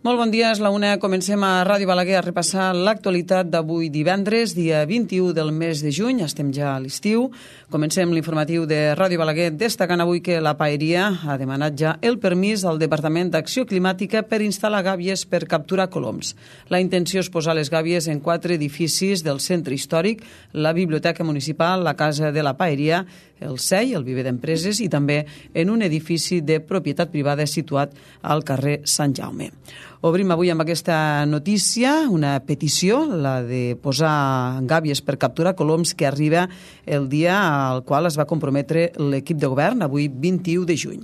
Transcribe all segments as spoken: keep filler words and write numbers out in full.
Molt bon dia, és la una. Comencem a Ràdio Balaguer a repassar l'actualitat d'avui divendres, dia vint-i-u del mes de juny. Estem ja a l'estiu. Comencem l'informatiu de Ràdio Balaguer destacant avui que la Paeria ha demanat ja el permís al Departament d'Acció Climàtica per instal·lar gàbies per capturar coloms. La intenció és posar les gàbies en quatre edificis del centre històric, la Biblioteca Municipal, la Casa de la Paeria, el C E I, el Viver d'Empreses, i també en un edifici de propietat privada situat al carrer Sant Jaume. Obrim avui amb aquesta notícia una petició, la de posar gàbies per capturar coloms, que arriba el dia al qual es va comprometre l'equip de govern, avui vint-i-u de juny.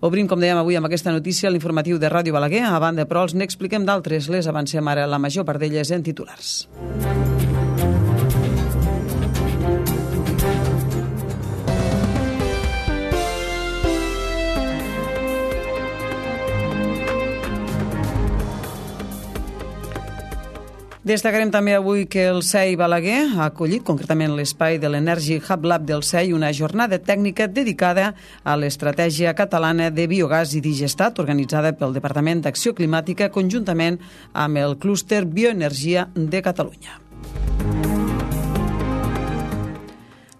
Obrim, com dèiem avui, amb aquesta notícia l'informatiu de Ràdio Balaguer. A banda, però, els n'expliquem d'altres. Les avancem ara, la major part d'elles en titulars. Destacarem també avui que el C E I Balaguer ha acollit concretament l'espai de l'Energy Hub Lab del C E I una jornada tècnica dedicada a l'estratègia catalana de biogàs i digestat organitzada pel Departament d'Acció Climàtica conjuntament amb el clúster Bioenergia de Catalunya.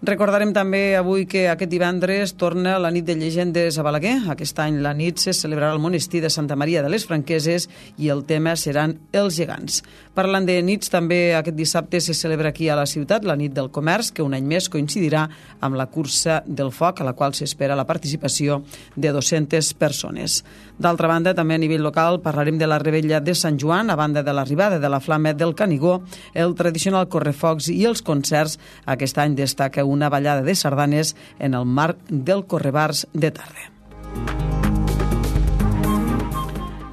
Recordarem també avui que aquest divendres torna la nit de llegendes a Balaguer. Aquest any la nit se celebrarà al monestir de Santa Maria de les Franqueses i el tema seran els gegants. Parlant de nits, també aquest dissabte se celebra aquí a la ciutat la nit del comerç, que un any més coincidirà amb la cursa del foc, a la qual s'espera la participació de dues-centes persones. D'altra banda, també a nivell local parlarem de la Revetlla de Sant Joan, a banda de l'arribada de la Flama del Canigó, el tradicional correfocs i els concerts. Aquest any destaca un una ballada de sardanes en el marc del Correbars de tarda.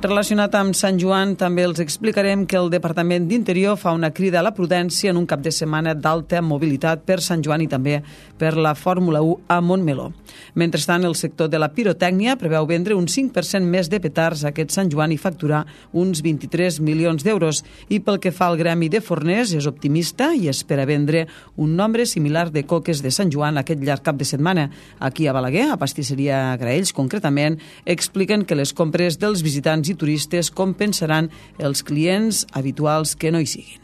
Relacionat amb Sant Joan, també els explicarem que el Departament d'Interior fa una crida a la prudència en un cap de setmana d'alta mobilitat per Sant Joan i també per la Fórmula u a Montmeló. Mentrestant, el sector de la pirotècnia preveu vendre un cinc per cent més de petards aquest Sant Joan i facturar uns vint-i-tres milions d'euros. I pel que fa al gremi de forners, és optimista i espera vendre un nombre similar de coques de Sant Joan aquest llarg cap de setmana. Aquí a Balaguer, a Pastisseria Graells, concretament, expliquen que les compres dels visitants i turistes compensaran els clients habituals que no hi siguin.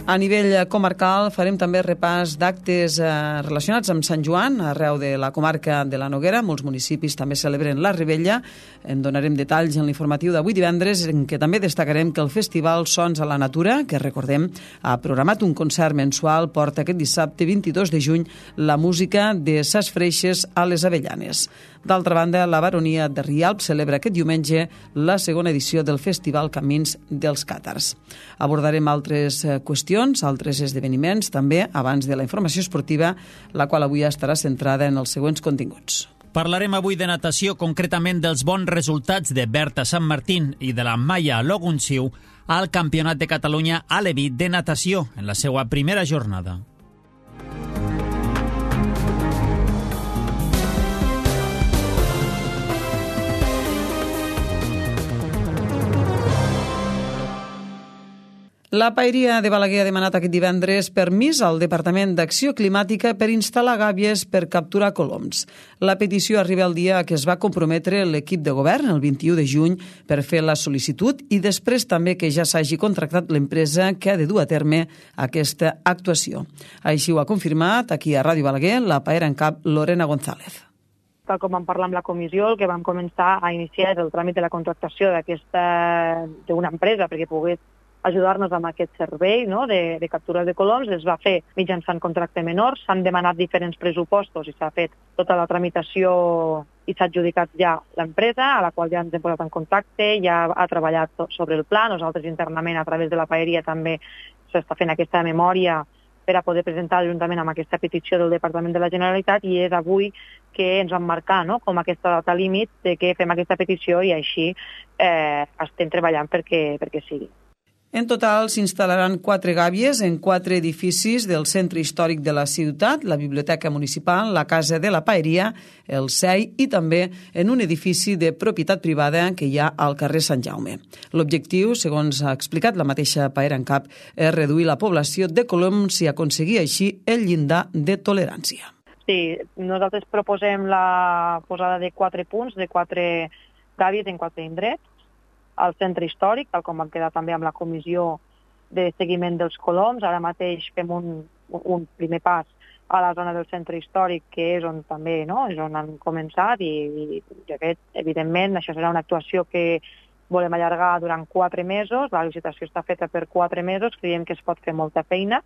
A nivell comarcal farem també repàs d'actes eh, relacionats amb Sant Joan arreu de la comarca de la Noguera. Molts municipis també celebren la Revetlla. En donarem detalls en l'informatiu d'avui divendres, en què també destacarem que el Festival Sons a la Natura, que recordem ha programat un concert mensual, porta aquest dissabte vint-i-dos de juny la música de Ses Freixes a les Avellanes. D'altra banda, la Baronia de Rialp celebra aquest diumenge la segona edició del Festival Camins dels Càtars. Abordarem altres qüestions, altres esdeveniments, també abans de la informació esportiva, la qual avui estarà centrada en els següents continguts. Parlarem avui de natació, concretament dels bons resultats de Berta Sant Martín i de la Maia Logunciu al Campionat de Catalunya Alevi de natació en la seva primera jornada. La Paeria de Balaguer ha demanat aquest divendres permís al Departament d'Acció Climàtica per instal·lar gàbies per capturar coloms. La petició arriba el dia que es va comprometre l'equip de govern, el vint-i-u de juny, per fer la sol·licitud i després també que ja s'hagi contractat l'empresa que ha de dur a terme aquesta actuació. Així ho ha confirmat aquí a Ràdio Balaguer la paera en cap Lorena González. Tal com vam parlar amb la comissió, el que vam començar a iniciar és el tràmit de la contractació d'aquesta d'una empresa perquè pogués ajudar-nos amb aquest servei, no?, de, de captura de coloms. Es va fer mitjançant contracte menor, s'han demanat diferents pressupostos i s'ha fet tota la tramitació i s'ha adjudicat ja l'empresa, a la qual ja ens hem posat en contacte, ja ha treballat sobre el pla. Nosaltres internament, a través de la Paeria, també s'està fent aquesta memòria per a poder presentar juntament amb aquesta petició del Departament de la Generalitat, i és avui que ens vam marcar, no?, com aquesta data límit de que fem aquesta petició i així eh, estem treballant perquè, perquè sigui. En total s'instal·laran quatre gàbies en quatre edificis del centre històric de la ciutat, la Biblioteca Municipal, la Casa de la Paeria, el C E I i també en un edifici de propietat privada que hi ha al carrer Sant Jaume. L'objectiu, segons ha explicat la mateixa Paera en Cap, és reduir la població de coloms i aconseguir així el llindar de tolerància. Sí, nosaltres proposem la posada de quatre punts, de quatre gàbies en quatre indrets, al centre històric, tal com vam quedar també amb la comissió de seguiment dels coloms. Ara mateix fem un, un primer pas a la zona del centre històric, que és on també, no?, és on han començat, i, i de fet, evidentment, això serà una actuació que volem allargar durant quatre mesos. La licitació està feta per quatre mesos, creiem que es pot fer molta feina,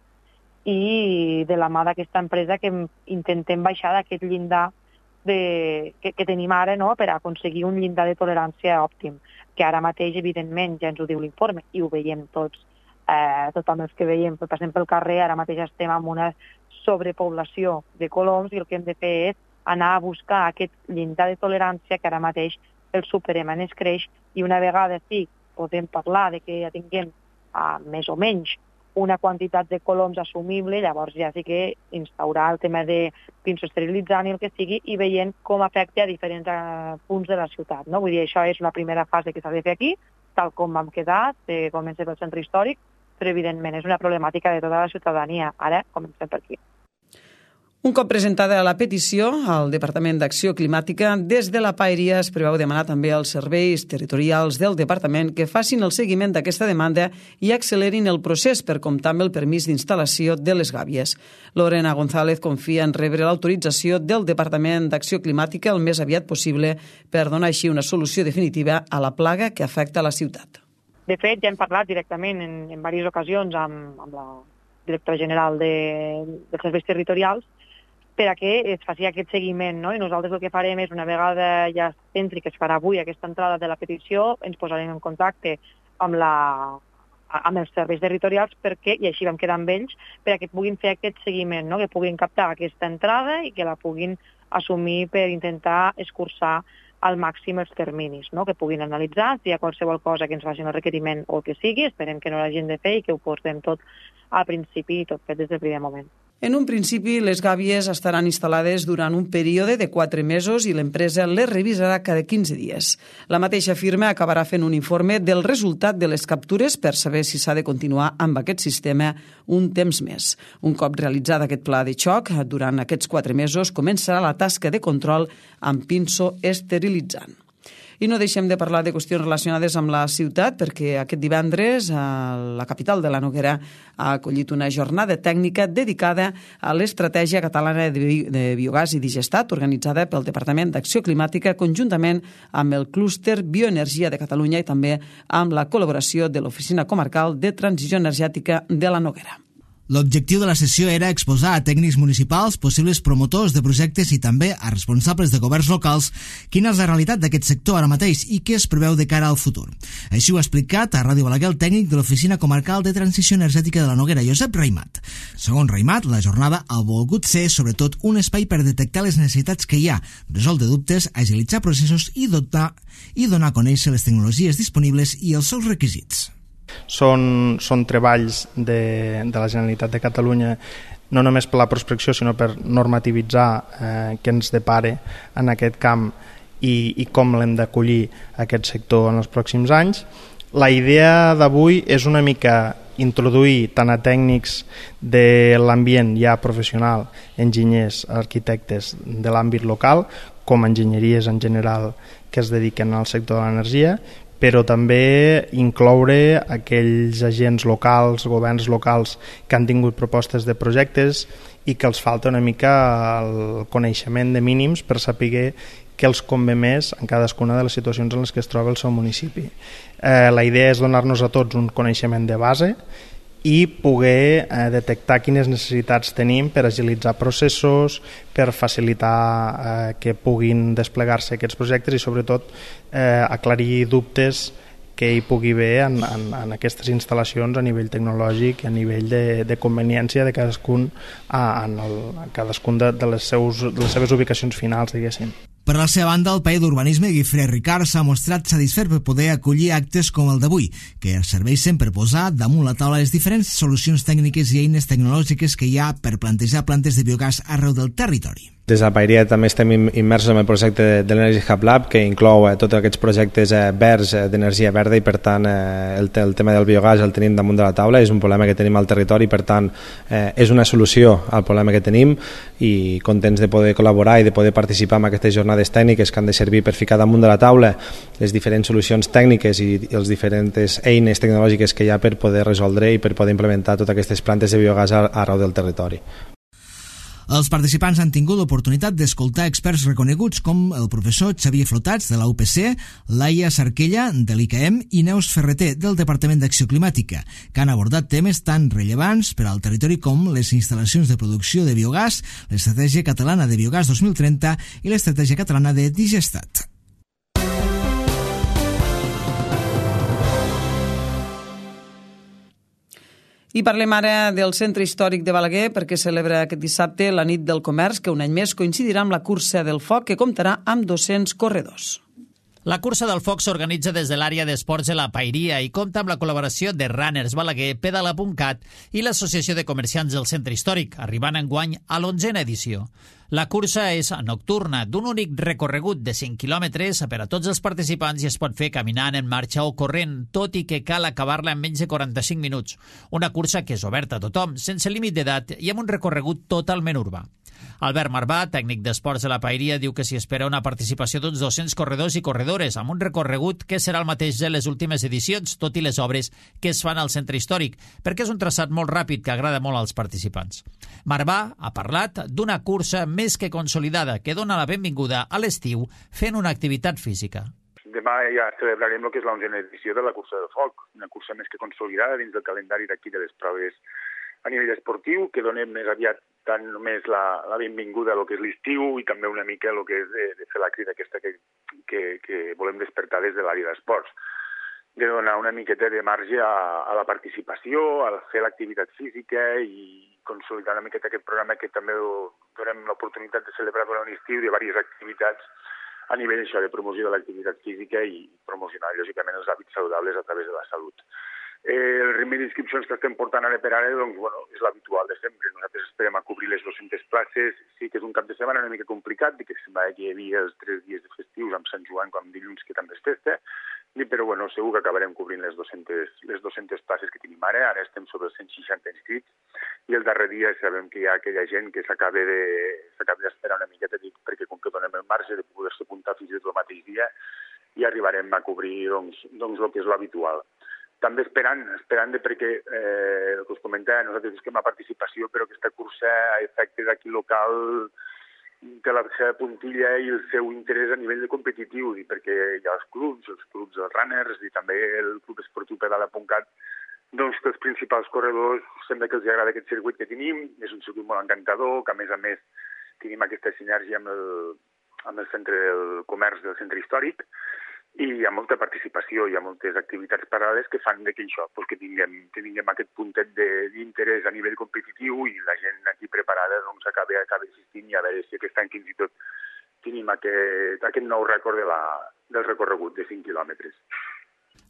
i de la mà d'aquesta empresa que intentem baixar d'aquest llindar de, que, que tenim ara, no?, per aconseguir un llindar de tolerància òptim, que ara mateix, evidentment, ja ens ho diu l'informe, i ho veiem tots, eh, tothom els que veiem, passem pel carrer, ara mateix estem amb una sobrepoblació de coloms, i el que hem de fer és anar a buscar aquest llindar de tolerància que ara mateix el superem en escreix, i una vegada sí podem parlar de que ja tinguem uh, més o menys una quantitat de coloms assumible, llavors ja sí que instaurar el tema de pinso esterilitzant i el que sigui, i veient com afecta a diferents uh, punts de la ciutat, no? Vull dir, això és una primera fase que s'ha de fer aquí, tal com vam quedar, que comença pel centre històric, però evidentment és una problemàtica de tota la ciutadania. Ara comencem per aquí. Un cop presentada la petició al Departament d'Acció Climàtica, des de la Paeria es preveu demanar també als serveis territorials del Departament que facin el seguiment d'aquesta demanda i accelerin el procés per comptar amb el permís d'instal·lació de les gàbies. Lorena González confia en rebre l'autorització del Departament d'Acció Climàtica el més aviat possible per donar així una solució definitiva a la plaga que afecta la ciutat. De fet, ja hem parlat directament en, en diverses ocasions amb, amb la directora general de, dels serveis territorials per a que es faci aquest seguiment, no? I nosaltres el que farem és, una vegada ja s'entri, que es farà avui aquesta entrada de la petició, ens posarem en contacte amb, la, amb els serveis territorials perquè, i així vam quedar amb ells, per a que puguin fer aquest seguiment, no? Que puguin captar aquesta entrada i que la puguin assumir per intentar escurçar al màxim els terminis, no? Que puguin analitzar si hi ha qualsevol cosa que ens facin el requeriment o el que sigui. Esperem que no l'hagin de fer i que ho portem tot al principi i tot fet des del primer moment. En un principi, les gàbies estaran instal·lades durant un període de quatre mesos i l'empresa les revisarà cada quinze dies. La mateixa firma acabarà fent un informe del resultat de les captures per saber si s'ha de continuar amb aquest sistema un temps més. Un cop realitzat aquest pla de xoc, durant aquests quatre mesos començarà la tasca de control amb pinso esterilitzant. I no deixem de parlar de qüestions relacionades amb la ciutat, perquè aquest divendres la capital de la Noguera ha acollit una jornada tècnica dedicada a l'estratègia catalana de biogàs i digestat organitzada pel Departament d'Acció Climàtica conjuntament amb el clúster Bioenergia de Catalunya i també amb la col·laboració de l'Oficina Comarcal de Transició Energètica de la Noguera. L'objectiu de la sessió era exposar a tècnics municipals, possibles promotors de projectes i també a responsables de governs locals quina és la realitat d'aquest sector ara mateix i què es preveu de cara al futur. Així ho ha explicat a Ràdio Balaguer el tècnic de l'Oficina Comarcal de Transició Energètica de la Noguera, Josep Raimat. Segons Raimat, la jornada ha volgut ser sobretot un espai per detectar les necessitats que hi ha, resoldre dubtes, agilitzar processos i dotar i donar a conèixer les tecnologies disponibles i els seus requisits. Són, són treballs de, de la Generalitat de Catalunya no només per la prospecció sinó per normativitzar eh, què ens depare en aquest camp i, i com l'hem d'acollir aquest sector en els pròxims anys. La idea d'avui és una mica introduir tant a tècnics de l'ambient ja professional, enginyers, arquitectes de l'àmbit local, com enginyeries en general que es dediquen al sector de l'energia, però també incloure aquells agents locals, governs locals que han tingut propostes de projectes i que els falta una mica el coneixement de mínims per saber què els convé més en cadascuna de les situacions en les que es troba el seu municipi. Eh, la idea és donar-nos a tots un coneixement de base i poder eh, detectar quines necessitats tenim per agilitzar processos, per facilitar eh, que puguin desplegar-se aquests projectes i sobretot eh, aclarir dubtes que hi pugui haver en, en, en aquestes instal·lacions a nivell tecnològic i a nivell de, de conveniència de cadascun, en, el, en cadascun de, de, les seus, de les seves ubicacions finals, diguéssim. Per la seva banda, el paller d'Urbanisme, Guifré Ricard, s'ha mostrat satisfet per poder acollir actes com el d'avui, que serveixen per posar damunt la taula les diferents solucions tècniques i eines tecnològiques que hi ha per plantejar plantes de biogàs arreu del territori. Des de la Paeria també estem immersos en el projecte de l'Energy Hub Lab, que inclou eh, tots aquests projectes eh, verds eh, d'energia verda, i per tant eh, el, el tema del biogàs el tenim damunt de la taula, és un problema que tenim al territori, per tant eh, és una solució al problema que tenim, i contents de poder col·laborar i de poder participar en aquestes jornades tècniques que han de servir per ficar damunt de la taula les diferents solucions tècniques i, i les diferents eines tecnològiques que hi ha per poder resoldre i per poder implementar totes aquestes plantes de biogàs arreu del territori. Els participants han tingut l'oportunitat d'escoltar experts reconeguts com el professor Xavier Flotats, de la U P C, Laia Sarquella, de l'I C A E M, i Neus Ferreter, del Departament d'Acció Climàtica, que han abordat temes tan rellevants per al territori com les instal·lacions de producció de biogàs, l'Estratègia Catalana de Biogàs dos mil trenta i l'Estratègia Catalana de Digestat. I parlem ara del Centre Històric de Balaguer, perquè celebra aquest dissabte la nit del comerç, que un any més coincidirà amb la cursa del foc, que comptarà amb dos-cents corredors. La cursa del foc s'organitza des de l'àrea d'esports de la Paeria i compta amb la col·laboració de Runners Balaguer, Pedala punt cat i l'Associació de Comerciants del Centre Històric, arribant enguany a l'onzena edició. La cursa és nocturna, d'un únic recorregut de cinc quilòmetres per a tots els participants i es pot fer caminant, en marxa o corrent, tot i que cal acabar-la en menys de quaranta-cinc minuts. Una cursa que és oberta a tothom, sense límit d'edat i amb un recorregut totalment urbà. Albert Marbà, tècnic d'esports de la Paeria, diu que s'hi espera una participació d'uns dos-cents corredors i corredores, amb un recorregut que serà el mateix de les últimes edicions, tot i les obres que es fan al centre històric, perquè és un traçat molt ràpid que agrada molt als participants. Marbà ha parlat d'una cursa més que consolidada que dona la benvinguda a l'estiu fent una activitat física. Demà ja celebrarem el que és l'onzena edició de la cursa del foc, una cursa més que consolidada dins del calendari d'aquí de les proves a nivell esportiu, que donem més aviat tant només la, la benvinguda a lo que és l'estiu i també una mica el que és de, de fer la crida aquesta que, que, que volem despertar des de l'àrea d'esports, de donar una miqueta de marge a, a la participació, a fer l'activitat física i consolidar una miqueta aquest programa que també donem l'oportunitat de celebrar durant l'estiu de diverses activitats a nivell això de promoció de l'activitat física i promocionar, lògicament, els hàbits saludables a través de la salut. Eh, el ritme d'inscripcions que estem portant ara per ara doncs, bueno, és l'habitual de sempre. Nosaltres esperem a cobrir les dues-centes places. Sí que és un cap de setmana una mica complicat, que semblava que hi havia els tres dies de festius amb Sant Joan com dilluns, que també és festa, però bueno, segur que acabarem cobrint les dues-centes, les dues-centes places que tenim ara. Ara estem sobre els cent seixanta inscrits i el darrer dia sabem que hi ha aquella gent que s'acaba de, s'acaba d'esperar una miqueta, perquè com que donem el marge de poder-se apuntar fins i tot el mateix dia, i arribarem a cobrir doncs, doncs el que és l'habitual. També esperant, esperant de perquè, eh, el que us comentava, nosaltres busquem la participació, però aquesta cursa a efecte d'aquí local té la seva puntilla i el seu interès a nivell de competitiu, i perquè hi ha els clubs, els clubs dels runners i també el club esportiu Pedala punt cat, doncs que els principals corredors sembla que els agrada aquest circuit que tenim, és un circuit molt encantador, que a més a més tenim aquesta sinergia amb el, amb el centre del comerç del centre històric, i hi ha molta participació, hi ha moltes activitats paral·leles que fan que això, doncs que tinguem, que tinguem aquest puntet d'interès a nivell competitiu i la gent aquí preparada doncs, acaba, acaba assistint i a veure si aquest any fins i tot tenim aquest, aquest nou rècord de la, del recorregut de cinc quilòmetres.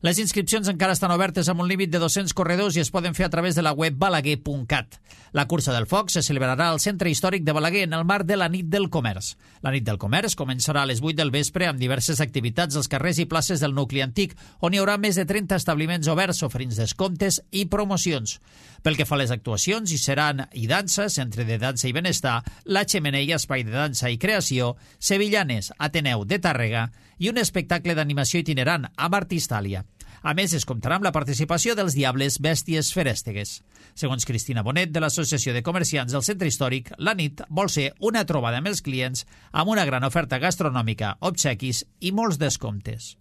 Les inscripcions encara estan obertes amb un límit de dos-cents corredors i es poden fer a través de la web balaguer punt cat. La cursa del foc se celebrarà al Centre Històric de Balaguer en el marc de la Nit del Comerç. La Nit del Comerç començarà a les vuit del vespre amb diverses activitats als carrers i places del nucli antic, on hi haurà més de trenta establiments oberts oferint descomptes i promocions. Pel que fa a les actuacions, hi seran i dansa, Centre de Dansa i Benestar, La Xemeneia, Espai de Dansa i Creació, Sevillanes, Ateneu de Tàrrega i un espectacle d'animació itinerant amb Artistàlia. A més, es comptarà amb la participació dels Diables Bèsties Ferèstegues. Segons Cristina Bonet, de l'Associació de Comerciants del Centre Històric, la nit vol ser una trobada amb els clients amb una gran oferta gastronòmica, obsequis i molts descomptes.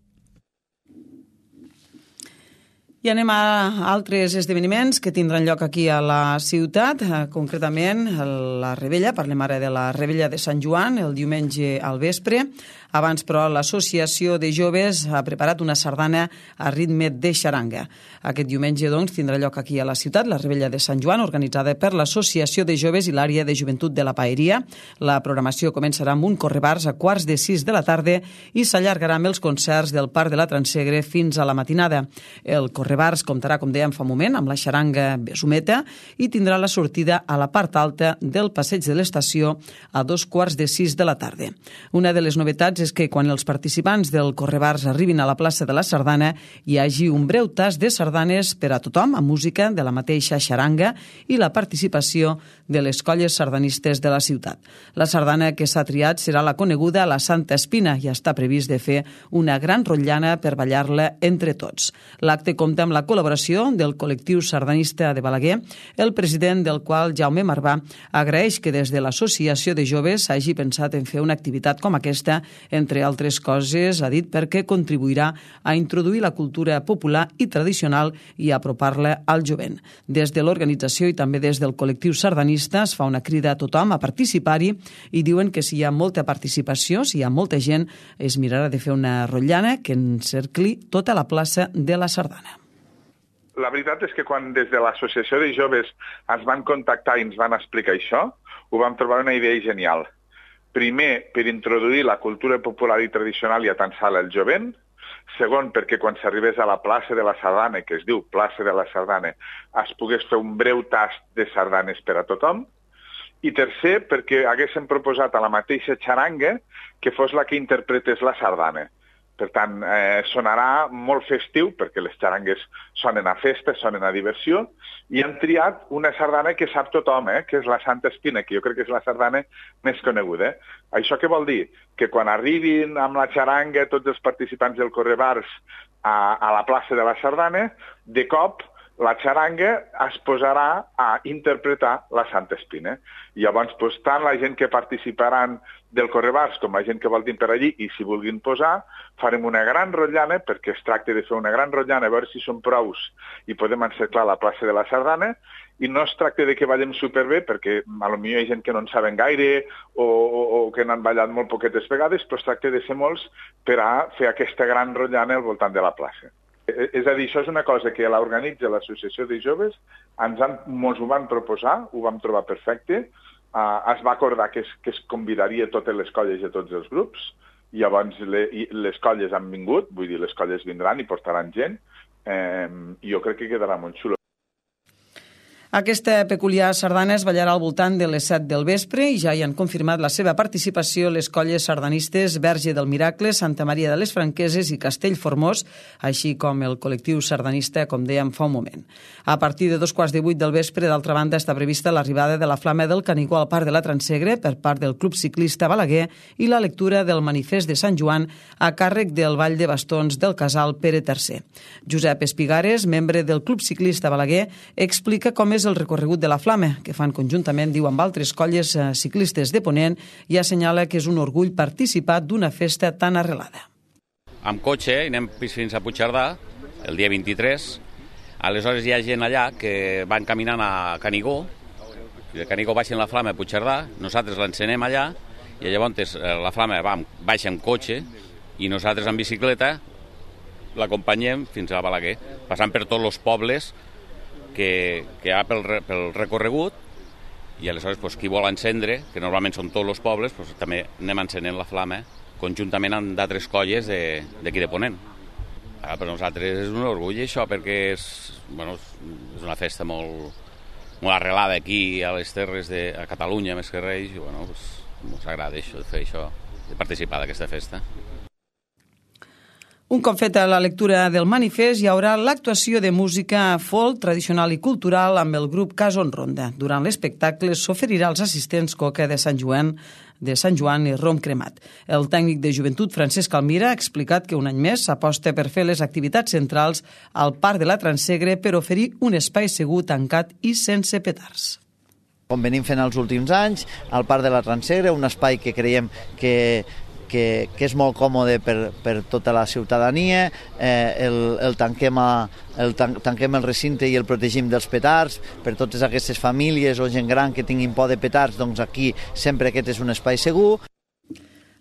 I anem a altres esdeveniments que tindran lloc aquí a la ciutat, concretament la Rebella. Parlem ara de la Rebella de Sant Joan, el diumenge al vespre. Abans, però, l'Associació de Joves ha preparat una sardana a ritme de xaranga. Aquest diumenge, doncs, tindrà lloc aquí a la ciutat la Rebella de Sant Joan, organitzada per l'Associació de Joves i l'Àrea de Joventut de la Paeria. La programació començarà amb un correbars a quarts de sis de la tarda i s'allargarà amb els concerts del Parc de la Transegre fins a la matinada. El correbars Correbars comptarà, com dèiem fa un moment, amb la xaranga Besumeta i tindrà la sortida a la part alta del passeig de l'estació a dos quarts de sis de la tarda. Una de les novetats és que quan els participants del Correbars arribin a la plaça de la Sardana hi hagi un breu tast de sardanes per a tothom, amb música de la mateixa xaranga i la participació de les colles sardanistes de la ciutat. La sardana que s'ha triat serà la coneguda La Santa Espina i està previst de fer una gran rotllana per ballar-la entre tots. L'acte compta amb la col·laboració del col·lectiu sardanista de Balaguer, el president del qual, Jaume Marvà, agraeix que des de l'Associació de Joves s'hagi pensat en fer una activitat com aquesta, entre altres coses, ha dit, perquè contribuirà a introduir la cultura popular i tradicional i apropar-la al jovent. Des de l'organització i també des del col·lectiu sardanista es fa una crida a tothom a participar-hi i diuen que si hi ha molta participació, si hi ha molta gent, es mirarà de fer una rotllana que encercli tota la plaça de la Sardana. La veritat és que quan des de l'Associació de Joves ens van contactar i ens van explicar això, ho vam trobar una idea genial. Primer, per introduir la cultura popular i tradicional i atansar-la al jovent. Segon, perquè quan s'arribés a la plaça de la Sardana, que es diu plaça de la Sardana, es pogués fer un breu tast de sardanes per a tothom. I tercer, perquè haguéssim proposat a la mateixa xaranga que fos la que interpretés la sardana. Per tant, eh, sonarà molt festiu, perquè les xarangues sonen a festa, sonen a diversió, i han triat una sardana que sap tothom, eh, que és la Santa Espina, que jo crec que és la sardana més coneguda. Eh? Això què vol dir? Que quan arribin amb la xaranga tots els participants del Correbars a, a la plaça de la Sardana, de cop la xaranga es posarà a interpretar la Santa Espina. Llavors, doncs, tant la gent que participaran del Correbars com la gent que voltin per allí i si vulguin posar, farem una gran rotllana, perquè es tracta de fer una gran rotllana, a veure si són prous i podem encerclar la plaça de la Sardana, i no es tracta de que ballem superbé, perquè potser hi ha gent que no en saben gaire o, o, o que n'han ballat molt poquetes vegades, però es tracta de ser molts per a fer aquesta gran rotllana al voltant de la plaça. És a dir, això és una cosa que l'organitza l'Associació de Joves, ens han, mos ho van proposar, ho vam trobar perfecte, uh, es va acordar que es, que es convidaria totes les colles i tots els grups, i llavors le, i les colles han vingut, vull dir, les colles vindran i portaran gent, eh, i jo crec que quedarà molt xulo. Aquesta peculiar sardana es ballarà al voltant de les set del vespre i ja hi han confirmat la seva participació les colles sardanistes Verge del Miracle, Santa Maria de les Franqueses i Castellformós, així com el col·lectiu sardanista, com dèiem fa un moment. A partir de dos quarts de vuit del vespre, d'altra banda, està prevista l'arribada de la Flama del Canigó al Parc de la Transegre per part del Club Ciclista Balaguer i la lectura del Manifest de Sant Joan a càrrec del Ball de Bastons del Casal Pere tercer. Josep Espigares, membre del Club Ciclista Balaguer, explica com és el recorregut de la Flama, que fan conjuntament, diu, amb altres colles ciclistes de Ponent, i assenyala que és un orgull participar d'una festa tan arrelada. Amb cotxe anem fins a Puigcerdà, el dia vint-i-tres. Aleshores hi ha gent allà que van caminant a Canigó, i de Canigó baixen la Flama a Puigcerdà, nosaltres l'encenem allà, i llavors la Flama va, baixa amb cotxe, i nosaltres amb bicicleta l'acompanyem fins a Balaguer, passant per tots els pobles que, que hi ha pel, pel recorregut, i aleshores pues, qui vol encendre, que normalment són tots els pobles, pues, també anem encenent la Flama conjuntament amb d'altres colles d'aquí de, de Ponent. Ara, per nosaltres és un orgull això, perquè és, bueno, és una festa molt, molt arrelada aquí a les terres de a Catalunya, més que res, i bueno, pues, ens agrada això, de fer això, de participar d'aquesta festa. Un cop feta la lectura del manifest, hi haurà l'actuació de música folk, tradicional i cultural amb el grup Cason Ronda. Durant l'espectacle s'oferirà als assistents coca de Sant Joan, de Sant Joan i rom cremat. El tècnic de joventut Francesc Almira ha explicat que un any més s'aposta per fer les activitats centrals al Parc de la Transegre per oferir un espai segur, tancat i sense petards. Com venim fent els últims anys, al Parc de la Transegre, un espai que creiem que Que, que és molt còmode per, per tota la ciutadania, eh, el, el, tanquem a, el tan, tanquem el recinte i el protegim dels petards, per totes aquestes famílies o gent gran que tinguin por de petards, doncs aquí sempre aquest és un espai segur.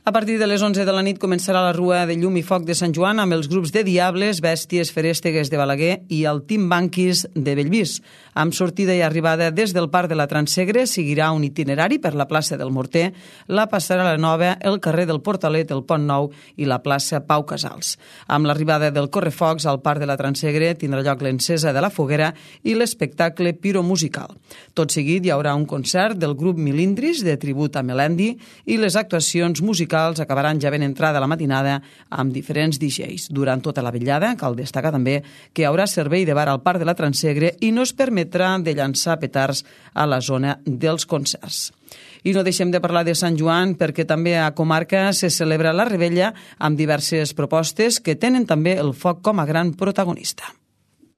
A partir de les onze de la nit començarà la Rua de Llum i Foc de Sant Joan amb els grups de Diables, Bèsties, Feréstegues de Balaguer i el Timbanquis de Bellvís. Amb sortida i arribada des del Parc de la Transsegre, seguirà un itinerari per la plaça del Morter, la Passarel·la Nova, el carrer del Portalet, el Pont Nou i la plaça Pau Casals. Amb l'arribada del Correfocs al Parc de la Transsegre tindrà lloc l'encesa de la foguera i l'espectacle piromusical. Tot seguit hi haurà un concert del grup Milindris de tribut a Melendi i les actuacions musicals acabaran ja ben entrada la matinada amb diferents D Js. Durant tota la vetllada cal destacar també que hi haurà servei de bar al Parc de la Transsegre i no es permetrà de llançar petards a la zona dels concerts. I no deixem de parlar de Sant Joan perquè també a comarca se celebra la Rebella amb diverses propostes que tenen també el foc com a gran protagonista.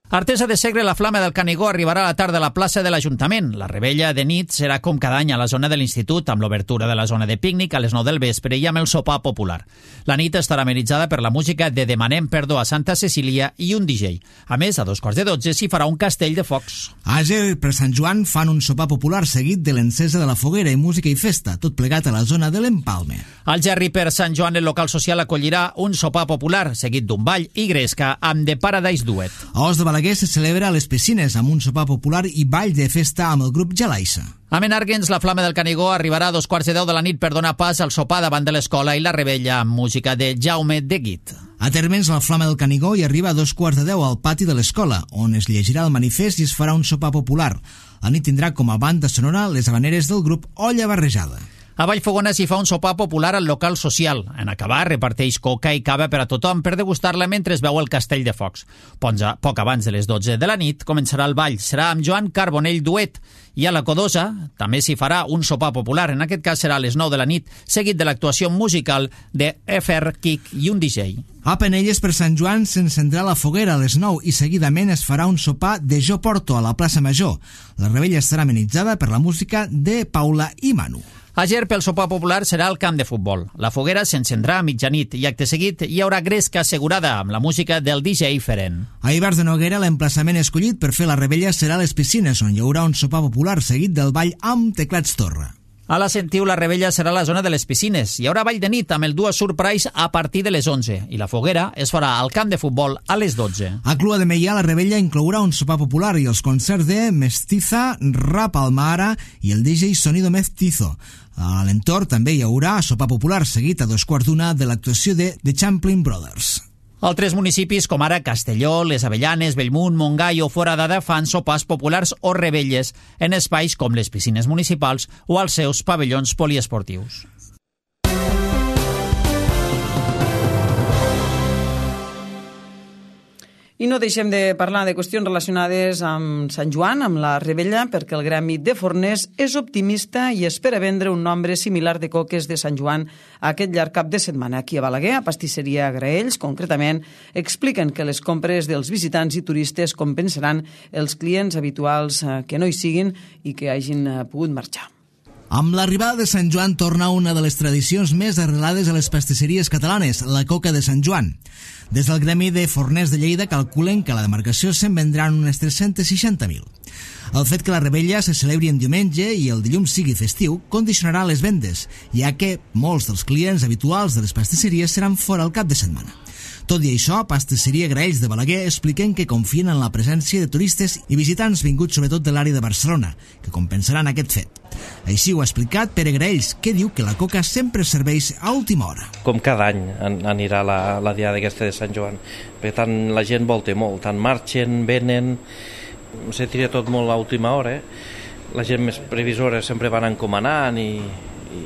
Artesa de Segre, la Flama del Canigó arribarà a la tarda a la plaça de l'Ajuntament. La rebella de nit serà com cada any a la zona de l'Institut, amb l'obertura de la zona de pícnic a les nou del vespre i amb el sopar popular. La nit estarà amenitzada per la música de Demanem Perdó a Santa Cecília i un D J. A més, a dos quarts de dotze s'hi farà un castell de focs. A Àger, per Sant Joan, fan un sopar popular seguit de l'encesa de la foguera i música i festa, tot plegat a la zona de l'Empalme. Al Gerri, per Sant Joan, el local social acollirà un sopar popular seguit d'un ball i gresca amb The Paradise Duet. A Os de Balaguer se celebra a les piscines amb un sopar popular i ball de festa amb el grup Jalaissa. A Menàrguens, la Flama del Canigó arribarà a dos quarts de deu de la nit per donar pas al sopar davant de l'escola i la rebella amb música de Jaume de Guit. A Térmens, la Flama del Canigó hi arriba a dos quarts de deu al pati de l'escola, on es llegirà el manifest i es farà un sopar popular. La nit tindrà com a banda sonora les habaneres del grup Olla Barrejada. A Vallfogona s'hi fa un sopar popular al local social. En acabar, reparteix coca i cava per a tothom per degustar-la mentre es veu el castell de focs. Poc abans de les dotze de la nit començarà el ball. Serà amb Joan Carbonell Duet. I a la Codosa també s'hi farà un sopar popular. En aquest cas serà a les nou de la nit, seguit de l'actuació musical de F R Kick i un D J. A Penelles, per Sant Joan, s'encendrà la foguera a les nou i seguidament es farà un sopar de Jo Porto a la plaça Major. La rebella estarà amenitzada per la música de Paula i Manu. A Ger, pel sopar popular, serà el camp de futbol. La foguera s'encendrà a mitjanit i acte seguit hi haurà gresca assegurada amb la música del D J Feren. A Ivars de Noguera, l'emplaçament escollit per fer la rebella serà a les piscines, on hi haurà un sopar popular seguit del ball amb teclats torre. A la Sentiu, la rebella serà a la zona de les piscines. Hi haurà ball de nit amb el Dua Surprise a partir de les onze i la foguera es farà al camp de futbol a les dotze. A Clua de Meià, la rebella inclourà un sopar popular i els concerts de Mestiza, Rap Almahara i el D J Sonido Mestizo. A l'entorn també hi haurà sopar popular seguit a dos quarts d'una de l'actuació de The Champlin Brothers. Altres municipis, com ara Castelló, Les Avellanes, Bellmunt, Montgai o Foradada, fan sopars populars o rebelles en espais com les piscines municipals o als seus pavellons poliesportius. I no deixem de parlar de qüestions relacionades amb Sant Joan, amb la rebella, perquè el Gremi de Forners és optimista i espera vendre un nombre similar de coques de Sant Joan aquest llarg cap de setmana. Aquí a Balaguer, a Pastisseria Graells, concretament, expliquen que les compres dels visitants i turistes compensaran els clients habituals que no hi siguin i que hagin pogut marxar. Amb l'arribada de Sant Joan torna una de les tradicions més arrelades a les pastisseries catalanes, la coca de Sant Joan. Des del Gremi de Forners de Lleida calculen que a la demarcació se'n vendran unes tres-cents seixanta mil. El fet que la rebella se celebri en diumenge i el dilluns sigui festiu condicionarà les vendes, ja que molts dels clients habituals de les pastisseries seran fora al cap de setmana. Tot i això, Pastisseria Graells de Balaguer expliquen que confien en la presència de turistes i visitants vinguts sobretot de l'àrea de Barcelona, que compensaran aquest fet. Així ho ha explicat Pere Graells, que diu que la coca sempre serveix a última hora. Com cada any anirà la, la diada aquesta de Sant Joan, perquè tant la gent volta molt, tant marxen, venen, se tira tot molt a última hora. La gent més previsora sempre van encomanant i,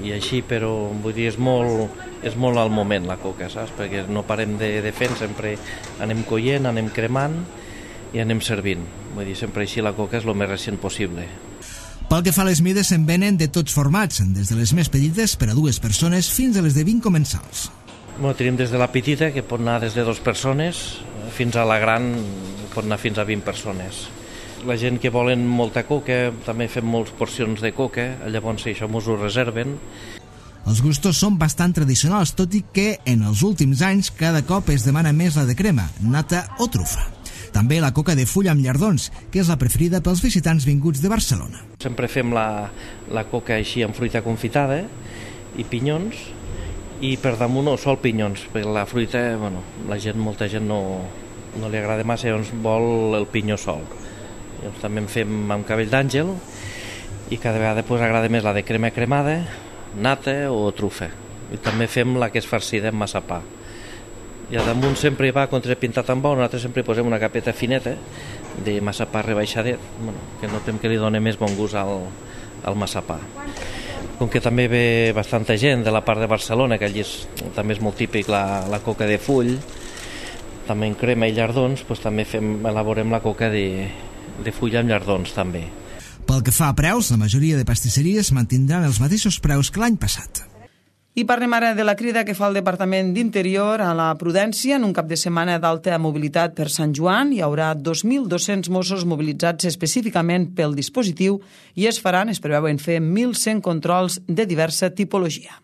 i així, però vull dir, és molt, és molt al moment la coca, saps? Perquè no parem de, de fent, sempre anem collent, anem cremant i anem servint. Vull dir, sempre així la coca és el més recent possible. Pel que fa a les mides, se'n venen de tots formats, des de les més petites per a dues persones fins a les de vint comensals. Bueno, tenim des de la petita, que pot anar des de dues persones, fins a la gran, pot anar fins a vint persones. La gent que volen molta coca, també fem moltes porcions de coca, llavors això mos ho reserven. Els gustos són bastant tradicionals, tot i que en els últims anys cada cop es demana més la de crema, nata o trufa. També la coca de fulla amb llardons, que és la preferida pels visitants vinguts de Barcelona. Sempre fem la, la coca així amb fruita confitada i pinyons, i per damunt sol pinyons, perquè la fruita, bueno, la gent, molta gent no, no li agrada massa, llavors vol el pinyó sol. Llavors també en fem amb cabell d'àngel i cada vegada pues, agrada més la de crema cremada, nata o trufa. I també fem la que és farcida amb massapà. I a damunt sempre hi va contrapintat amb ou, nosaltres sempre hi posem una capeta fineta de massapà rebaixadet, bueno, que notem que li dona més bon gust al, al massapà. Com que també ve bastanta gent de la part de Barcelona, que allí és, també és molt típic la, la coca de full, també en crema i llardons, doncs també fem, elaborem la coca de, de full amb llardons també. Pel que fa a preus, la majoria de pastisseries mantindran els mateixos preus que l'any passat. I parlem ara de la crida que fa el Departament d'Interior a la prudència. En un cap de setmana d'alta mobilitat per Sant Joan hi haurà dos mil dos-cents Mossos mobilitzats específicament pel dispositiu i es faran, es preveuen fer mil cent controls de diversa tipologia.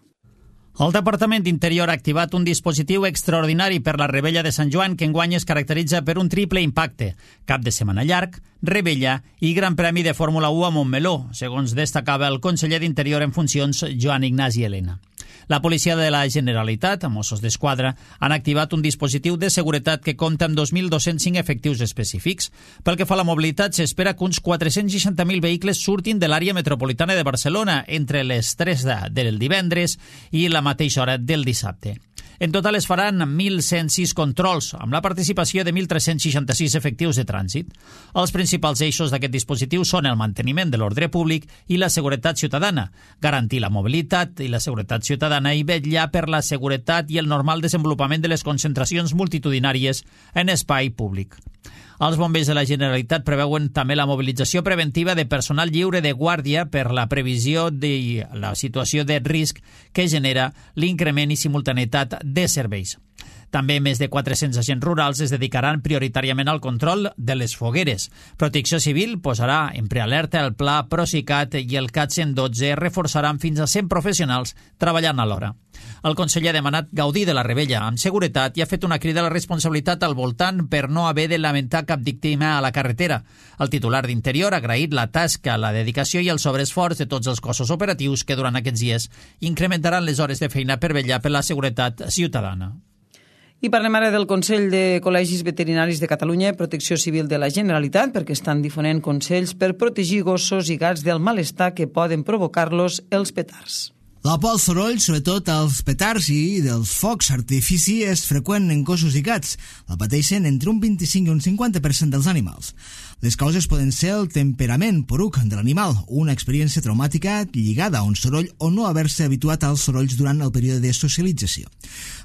El Departament d'Interior ha activat un dispositiu extraordinari per la Rebella de Sant Joan que enguany es caracteritza per un triple impacte. Cap de setmana llarg, Rebella i Gran Premi de Fórmula u a Montmeló, segons destacava el conseller d'Interior en funcions, Joan Ignasi Elena. La policia de la Generalitat, a Mossos d'Esquadra, han activat un dispositiu de seguretat que compta amb dos mil dos-cents cinc efectius específics. Pel que fa a la mobilitat, s'espera que uns quatre-cents seixanta mil vehicles surtin de l'àrea metropolitana de Barcelona entre les tres del divendres i la mateixa hora del dissabte. En total es faran mil cent sis controls, amb la participació de mil tres-cents seixanta-sis efectius de trànsit. Els principals eixos d'aquest dispositiu són el manteniment de l'ordre públic i la seguretat ciutadana, garantir la mobilitat i la seguretat ciutadana i vetllar per la seguretat i el normal desenvolupament de les concentracions multitudinàries en espai públic. Els bombers de la Generalitat preveuen també la mobilització preventiva de personal lliure de guàrdia per la previsió de la situació de risc que genera l'increment i simultaneïtat de serveis. També més de quatre-cents agents rurals es dedicaran prioritàriament al control de les fogueres. Protecció Civil posarà en prealerta el pla Procicat i el CAT cent dotze reforçaran fins a cent professionals treballant alhora. El conseller ha demanat gaudir de la Rebella amb seguretat i ha fet una crida a la responsabilitat al voltant per no haver de lamentar cap víctima a la carretera. El titular d'Interior ha agraït la tasca, la dedicació i el sobreesforç de tots els cossos operatius que durant aquests dies incrementaran les hores de feina per vetllar per la seguretat ciutadana. I parlem ara del Consell de Col·legis Veterinaris de Catalunya i Protecció Civil de la Generalitat perquè estan difonent consells per protegir gossos i gats del malestar que poden provocar-los els petards. La por al soroll, sobretot als petards i dels focs artifici, és freqüent en gossos i gats. La pateixen entre un vint-i-cinc i un cinquanta per cent dels animals. Les causes poden ser el temperament poruc de l'animal, una experiència traumàtica lligada a un soroll o no haver-se habituat als sorolls durant el període de socialització.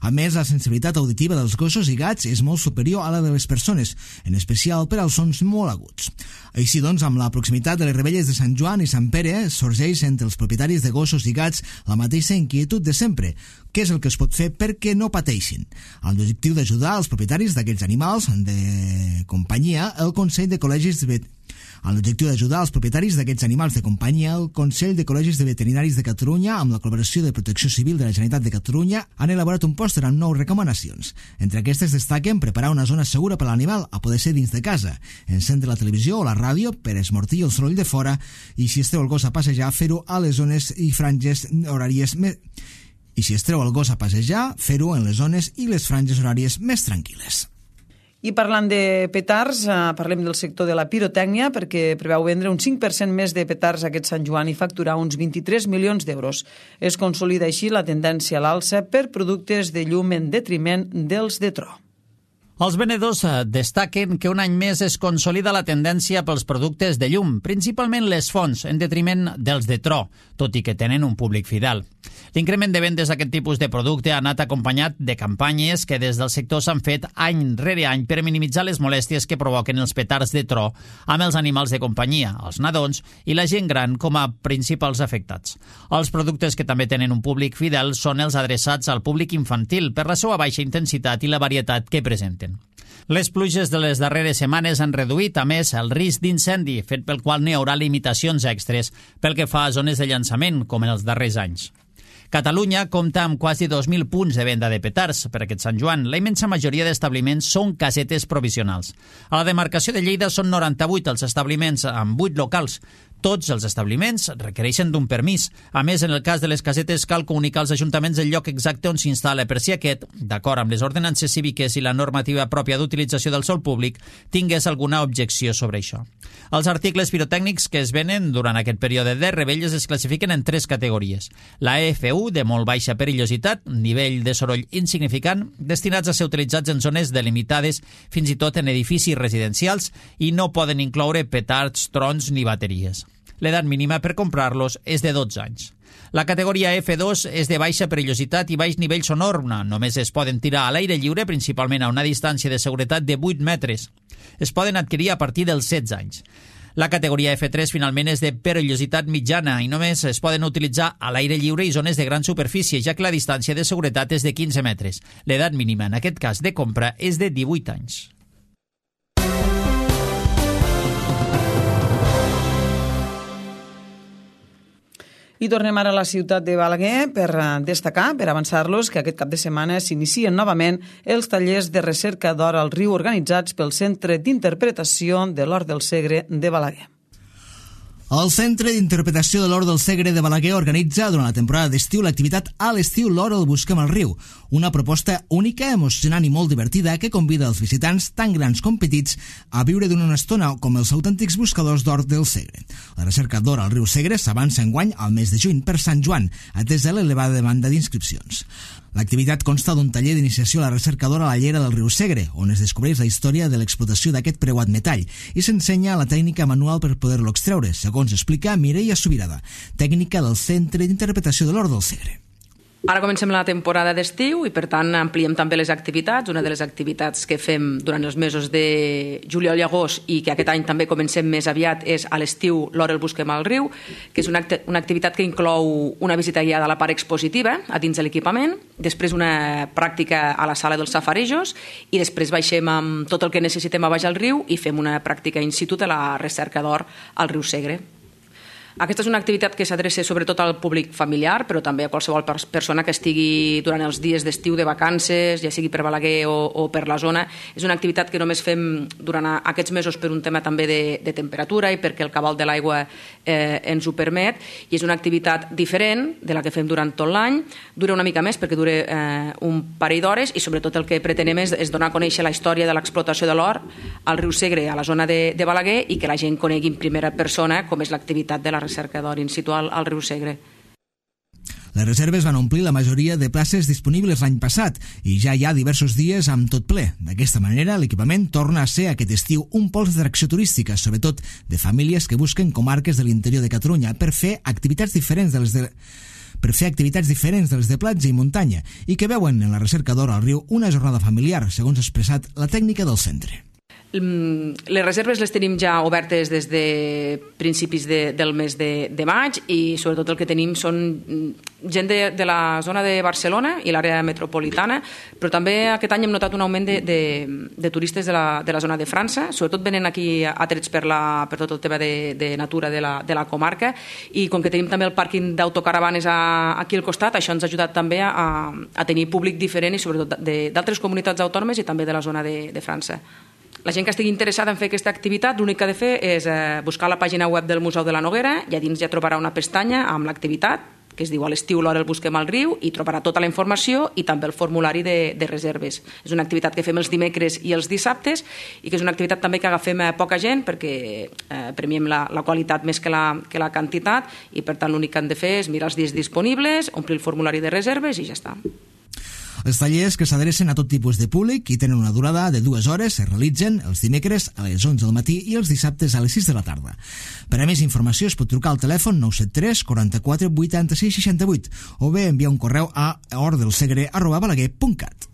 A més, la sensibilitat auditiva dels gossos i gats és molt superior a la de les persones, en especial per als sons molt aguts. Així doncs, amb la proximitat de les rebelles de Sant Joan i Sant Pere, sorgeix entre els propietaris de gossos i gats la mateixa inquietud de sempre. Què és el que es pot fer perquè no pateixin? Amb l'objectiu d'ajudar els propietaris d'aquests animals de companyia, el Consell de Col·legis de Amb l'objectiu d'ajudar els propietaris d'aquests animals de companyia, el Consell de Col·legis de Veterinaris de Catalunya, amb la col·laboració de Protecció Civil de la Generalitat de Catalunya, han elaborat un pòster amb nou recomanacions. Entre aquestes destaquen preparar una zona segura per a l'animal, a poder ser dins de casa, encendre la televisió o la ràdio per esmortir el soroll de fora i, si es treu el gos a passejar, fer-ho a les zones i franges horàries més... I si es treu el gos a passejar, fer-ho en les zones i les franges horàries més tranquil·les. I parlant de petards, eh, parlem del sector de la pirotècnia perquè preveu vendre un cinc per cent més de petards aquest Sant Joan i facturar uns vint-i-tres milions d'euros. Es consolida així la tendència a l'alça per productes de llum en detriment dels de tro. Els venedors destaquen que un any més es consolida la tendència pels productes de llum, principalment les fonts, en detriment dels de tro, tot i que tenen un públic fidel. L'increment de vendes d'aquest tipus de producte ha anat acompanyat de campanyes que des del sector s'han fet any rere any per minimitzar les molèsties que provoquen els petards de tro amb els animals de companyia, els nadons i la gent gran com a principals afectats. Els productes que també tenen un públic fidel són els adreçats al públic infantil per la seva baixa intensitat i la varietat que presenten. Les pluges de les darreres setmanes han reduït, a més, el risc d'incendi, fet pel qual n'hi haurà limitacions extres pel que fa a zones de llançament, com en els darrers anys. Catalunya compta amb quasi dos mil punts de venda de petards per aquest Sant Joan. La immensa majoria d'establiments són casetes provisionals. A la demarcació de Lleida són noranta-vuit els establiments amb vuit locals. Tots els establiments requereixen d'un permís. A més, en el cas de les casetes cal comunicar als ajuntaments el lloc exacte on s'instal·la per si aquest, d'acord amb les ordenances cíviques i la normativa pròpia d'utilització del sòl públic, tingués alguna objecció sobre això. Els articles pirotècnics que es venen durant aquest període de revetlles es classifiquen en tres categories. La E F U, de molt baixa perillositat, nivell de soroll insignificant, destinats a ser utilitzats en zones delimitades, fins i tot en edificis residencials, i no poden incloure petards, trons ni bateries. L'edat mínima per comprar-los és de dotze anys. La categoria F dos és de baixa perillositat i baix nivell sonor. Només es poden tirar a l'aire lliure, principalment a una distància de seguretat de vuit metres. Es poden adquirir a partir dels setze anys. La categoria F tres finalment és de perillositat mitjana i només es poden utilitzar a l'aire lliure i zones de gran superfície, ja que la distància de seguretat és de quinze metres. L'edat mínima en aquest cas de compra és de divuit anys. I tornem ara a la ciutat de Balaguer per destacar, per avançar-los, que aquest cap de setmana s'inicien novament els tallers de recerca d'or al riu organitzats pel Centre d'Interpretació de l'Hort del Segre de Balaguer. El Centre d'Interpretació de l'Hort del Segre de Balaguer organitza durant la temporada d'estiu l'activitat A l'estiu l'Hort el busquem al riu, una proposta única, emocionant i molt divertida que convida els visitants, tan grans com petits, a viure d'una estona com els autèntics buscadors d'or del Segre. La recerca d'or al riu Segre s'avança enguany al mes de juny per Sant Joan, atesa l'elevada demanda d'inscripcions. L'activitat consta d'un taller d'iniciació a la recerca d'or a la llera del riu Segre, on es descobreix la història de l'explotació d'aquest preuat metall i s'ensenya la tècnica manual per poder-lo extreure, segons explica Mireia Subirada, tècnica del Centre d'Interpretació de l'Hort del Segre. Ara comencem la temporada d'estiu i, per tant, ampliem també les activitats. Una de les activitats que fem durant els mesos de juliol i agost i que aquest any també comencem més aviat és a l'estiu l'Hort el busquem al riu, que és una, act una activitat que inclou una visita guiada a la part expositiva, a dins de l'equipament, després una pràctica a la sala dels safarejos i després baixem amb tot el que necessitem a baix al riu i fem una pràctica in situ de la recerca d'or al riu Segre. Aquesta és una activitat que s'adreça sobretot al públic familiar, però també a qualsevol persona que estigui durant els dies d'estiu de vacances, ja sigui per Balaguer o, o per la zona. És una activitat que només fem durant aquests mesos per un tema també de, de temperatura i perquè el cabal de l'aigua eh, ens ho permet, i és una activitat diferent de la que fem durant tot l'any. Dura una mica més perquè dura eh, un parell d'hores i sobretot el que pretenem és, és donar a conèixer la història de l'explotació de l'or al riu Segre, a la zona de, de Balaguer, i que la gent conegui en primera persona com és l'activitat de la recerca d'or in situ al, al riu Segre. Les reserves van omplir la majoria de places disponibles l'any passat i ja hi ha diversos dies amb tot ple. D'aquesta manera, l'equipament torna a ser aquest estiu un pols d'atracció turística, sobretot de famílies que busquen comarques de l'interior de Catalunya per fer activitats diferents de les de per fer activitats diferents de les de platja i muntanya i que veuen en la recerca d'or al riu una jornada familiar, segons ha expressat la tècnica del centre. Les reserves les tenim ja obertes des de principis de, del mes de, de maig i sobretot el que tenim són gent de, de la zona de Barcelona i l'àrea metropolitana, però també aquest any hem notat un augment de, de, de turistes de la, de la zona de França, sobretot venen aquí atrets per, la, per tot el tema de, de natura de la, de la comarca, i com que tenim també el pàrquing d'autocaravanes a, aquí al costat, això ens ha ajudat també a, a tenir públic diferent i sobretot d'altres comunitats autònomes i també de la zona de, de França. La gent que estigui interessada en fer aquesta activitat, l'únic que ha de fer és eh, buscar la pàgina web del Museu de la Noguera i a dins ja trobarà una pestanya amb l'activitat, que es diu a l'estiu l'hora el busquem al riu, i trobarà tota la informació i també el formulari de, de reserves. És una activitat que fem els dimecres i els dissabtes i que és una activitat també que agafem a poca gent perquè eh, premiem la, la qualitat més que la, que la quantitat, i per tant l'únic que han de fer és mirar els dies disponibles, omplir el formulari de reserves i ja està. Els tallers, que s'adrecen a tot tipus de públic i tenen una durada de dues hores, es realitzen els dimecres a les onze del matí i els dissabtes a les sis de la tarda. Per a més informació es pot trucar al telèfon nou set tres quaranta-quatre vuitanta-sis seixanta-vuit o bé enviar un correu a hortdelsegre arroba balaguer punt cat.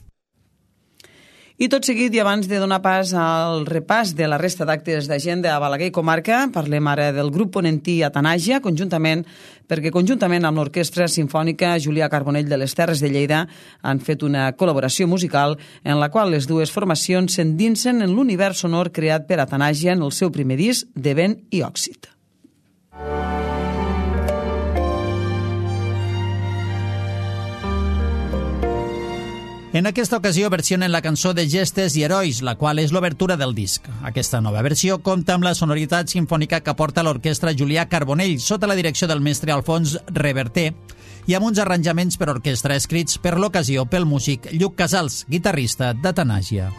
I tot seguit, i abans de donar pas al repàs de la resta d'actes d'agenda a Balaguer i comarca, parlem ara del grup ponentí Atanàsia, conjuntament, perquè conjuntament amb l'Orquestra Simfònica Julià Carbonell de les Terres de Lleida han fet una col·laboració musical en la qual les dues formacions s'endinsen en l'univers sonor creat per Atanàsia en el seu primer disc de Vent i Òxid. En aquesta ocasió versionen la cançó de Gestes i Herois, la qual és l'obertura del disc. Aquesta nova versió compta amb la sonoritat sinfònica que aporta l'orquestra Julià Carbonell sota la direcció del mestre Alfons Reverter i amb uns arranjaments per orquestra escrits per l'ocasió pel músic Lluc Casals, guitarrista d'Atanàsia.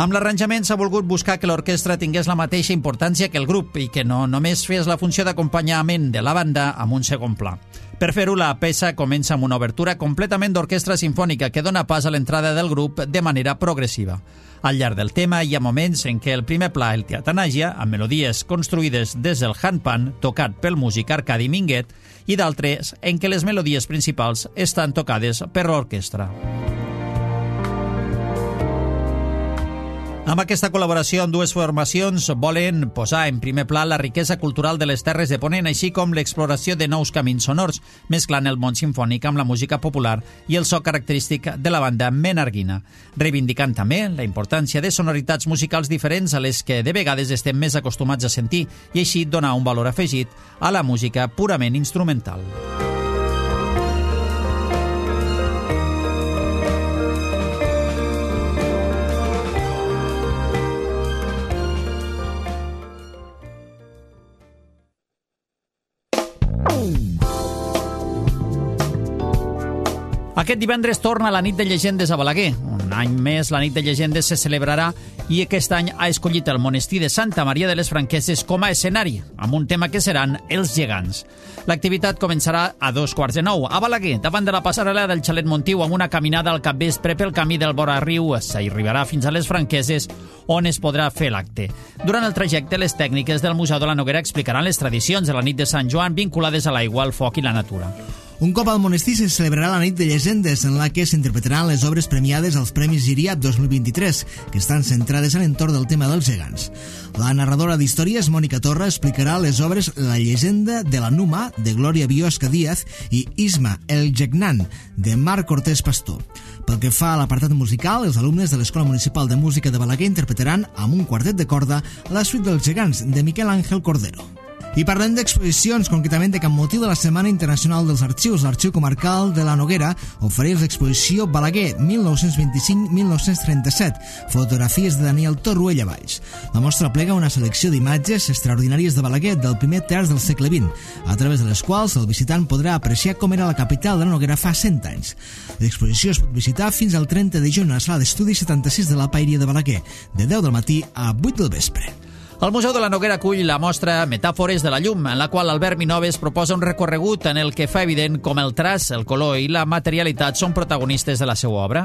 Amb l'arranjament s'ha volgut buscar que l'orquestra tingués la mateixa importància que el grup i que no només fes la funció d'acompanyament de la banda amb un segon pla. Per fer-ho, la peça comença amb una obertura completament d'orquestra sinfònica que dona pas a l'entrada del grup de manera progressiva. Al llarg del tema hi ha moments en què el primer pla el té Atanàsia, amb melodies construïdes des del handpan, tocat pel músic Arcadi Minguet, i d'altres en què les melodies principals estan tocades per l'orquestra. Amb aquesta col·laboració amb dues formacions volen posar en primer pla la riquesa cultural de les Terres de Ponent, així com l'exploració de nous camins sonors, mesclant el món simfònic amb la música popular i el so característic de la banda menorquina, reivindicant també la importància de sonoritats musicals diferents a les que de vegades estem més acostumats a sentir i així donar un valor afegit a la música purament instrumental. Aquest divendres torna la nit de llegendes a Balaguer. Un any més la nit de llegendes se celebrarà i aquest any ha escollit el monestir de Santa Maria de les Franqueses com a escenari, amb un tema que seran els gegants. L'activitat començarà a dos quarts de nou a Balaguer, davant de la passarel·la del Xalet Montiu, amb una caminada al capvespre pel camí del vora riu. S'arribarà fins a les Franqueses, on es podrà fer l'acte. Durant el trajecte, les tècniques del Museu de la Noguera explicaran les tradicions de la nit de Sant Joan vinculades a l'aigua, al foc i la natura. Un cop al monestir se celebrarà la nit de llegendes, en la que s'interpretaran les obres premiades als Premis Giriat dos mil vint-i-tres, que estan centrades a l'entorn del tema dels gegants. La narradora d'històries, Mònica Torra, explicarà les obres La llegenda de la Numa, de Glòria Biosca Díaz, i Isma, el Gegnan, de Marc Cortés Pastor. Pel que fa a l'apartat musical, els alumnes de l'Escola Municipal de Música de Balaguer interpretaran amb un quartet de corda la suite dels gegants, de Miquel Àngel Cordero. I parlem d'exposicions, concretament de cap motiu de la Setmana Internacional dels Arxius. L'Arxiu Comarcal de la Noguera ofereix l'exposició Balaguer mil nou-cents vint-i-cinc a mil nou-cents trenta-set, fotografies de Daniel Torruella Valls. La mostra plega una selecció d'imatges extraordinàries de Balaguer del primer terç del segle vint, a través de les quals el visitant podrà apreciar com era la capital de la Noguera fa cent anys. L'exposició es pot visitar fins al trenta de juny a la sala d'estudi setanta-sis de la Paeria de Balaguer, de deu del matí a vuit del vespre. El Museu de la Noguera acull la mostra Metàfores de la llum, en la qual Albert Minoves proposa un recorregut en el que fa evident com el traç, el color i la materialitat són protagonistes de la seva obra.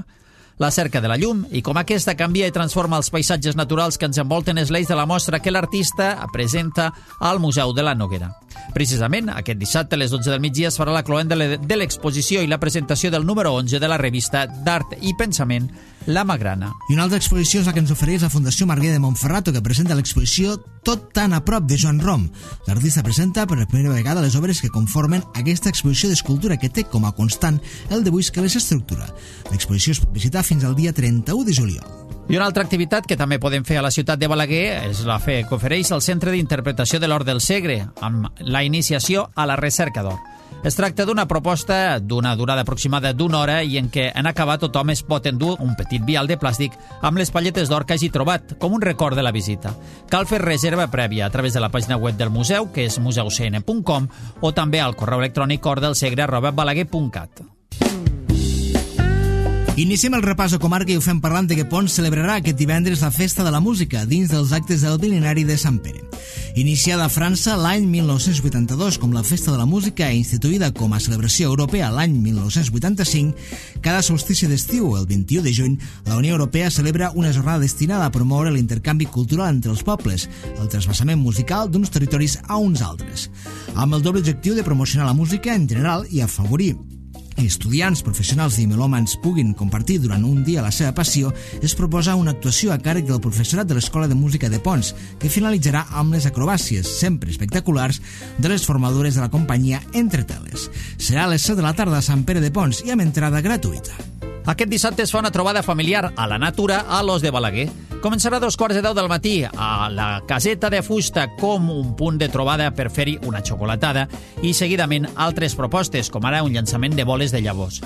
La cerca de la llum i com aquesta canvia i transforma els paisatges naturals que ens envolten és l'eix de la mostra que l'artista presenta al Museu de la Noguera. Precisament, aquest dissabte a les dotze del migdia es farà la cloent de l'exposició i la presentació del número onze de la revista d'Art i Pensament, La Magrana. I una altra exposició és la que ens ofereix la Fundació Marguer de Montferrato, que presenta l'exposició Tot tan a prop de Joan Rom. L'artista presenta per primera vegada les obres que conformen aquesta exposició d'escultura que té com a constant el dibuix que les estructura. L'exposició es pot visitar fins al dia trenta-u de juliol. I una altra activitat que també podem fer a la ciutat de Balaguer és la fe que ofereix el Centre d'Interpretació de l'Hort del Segre, amb la iniciació a la recerca d'or. Es tracta d'una proposta d'una durada aproximada d'una hora i en què en acabar tothom es pot endur un petit vial de plàstic amb les palletes d'or que hagi trobat, com un record de la visita. Cal fer reserva prèvia a través de la pàgina web del museu, que és museu c n punt com, o també al correu electrònic hortdelsegre arroba balaguer punt cat. Iniciem el repàs a comarca i ho fem parlant de que Ponts celebrarà aquest divendres la Festa de la Música dins dels actes del Bilinari de Sant Pere. Iniciada a França l'any mil nou-cents vuitanta-dos com la Festa de la Música i instituïda com a celebració europea l'any mil nou-cents vuitanta-cinc, cada solstici d'estiu, el vint-i-u de juny, la Unió Europea celebra una jornada destinada a promoure l'intercanvi cultural entre els pobles, el trasbassament musical d'uns territoris a uns altres, amb el doble objectiu de promocionar la música en general i afavorir estudiants, professionals i melòmans puguin compartir durant un dia la seva passió. Es proposa una actuació a càrrec del professorat de l'Escola de Música de Ponts, que finalitzarà amb les acrobàcies, sempre espectaculars, de les formadores de la companyia Entre Teles. Serà a les set de la tarda a Sant Pere de Ponts i amb entrada gratuïta. Aquest dissabte es fa una trobada familiar a la natura a l'Os de Balaguer. Començarà a dos quarts de deu del matí a la Caseta de Fusta com un punt de trobada per fer-hi una xocolatada i seguidament altres propostes, com ara un llançament de boles de llavors.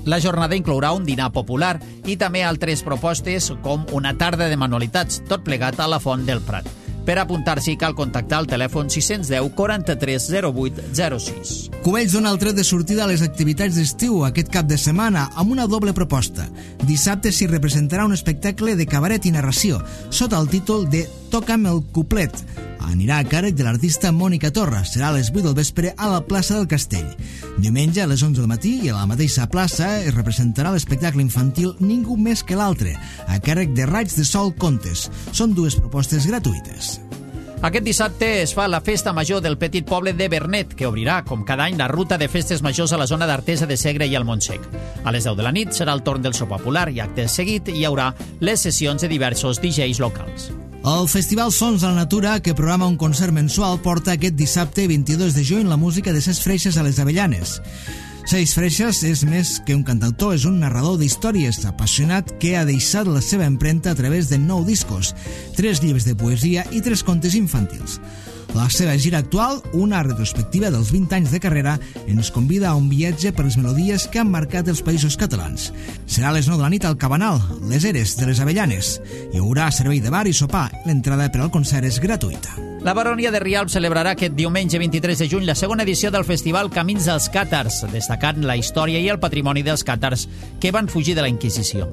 La jornada inclourà un dinar popular i també altres propostes com una tarda de manualitats, tot plegat a la Font del Prat. Per apuntar-s'hi cal contactar al telèfon sis cents deu quaranta-tres zero vuit zero sis. Cubells dona el tret de sortida a les activitats d'estiu aquest cap de setmana amb una doble proposta. Dissabte s'hi representarà un espectacle de cabaret i narració sota el títol de Toca'm el cuplet. Anirà a càrrec de l'artista Mònica Torra. Serà a les vuit del vespre a la plaça del Castell. Diumenge a les onze del matí i a la mateixa plaça es representarà l'espectacle infantil Ningú més que l'altre, a càrrec de Raigs de Sol Contes. Són dues propostes gratuïtes. Aquest dissabte es fa la Festa Major del petit poble de Vernet, que obrirà, com cada any, la ruta de festes majors a la zona d'Artesa de Segre i al Montsec. A les deu de la nit serà el torn del sopar popular i acte seguit hi haurà les sessions de diversos D Js locals. El Festival Sons de la Natura, que programa un concert mensual, porta aquest dissabte vint-i-dos de juny la música de Ses Freixes a les Avellanes. Ses Freixes és més que un cantautor, és un narrador d'històries apassionat que ha deixat la seva empremta a través de nou discos, tres llibres de poesia i tres contes infantils. La seva gira actual, una retrospectiva dels vint anys de carrera, ens convida a un viatge per les melodies que han marcat els països catalans. Serà a les nou de la nit al Cabanal, les Eres de les Avellanes. Hi haurà servei de bar i sopar. L'entrada per al concert és gratuïta. La Baronia de Rialp celebrarà aquest diumenge vint-i-tres de juny la segona edició del festival Camins dels Càtars, destacant la història i el patrimoni dels càtars que van fugir de la Inquisició.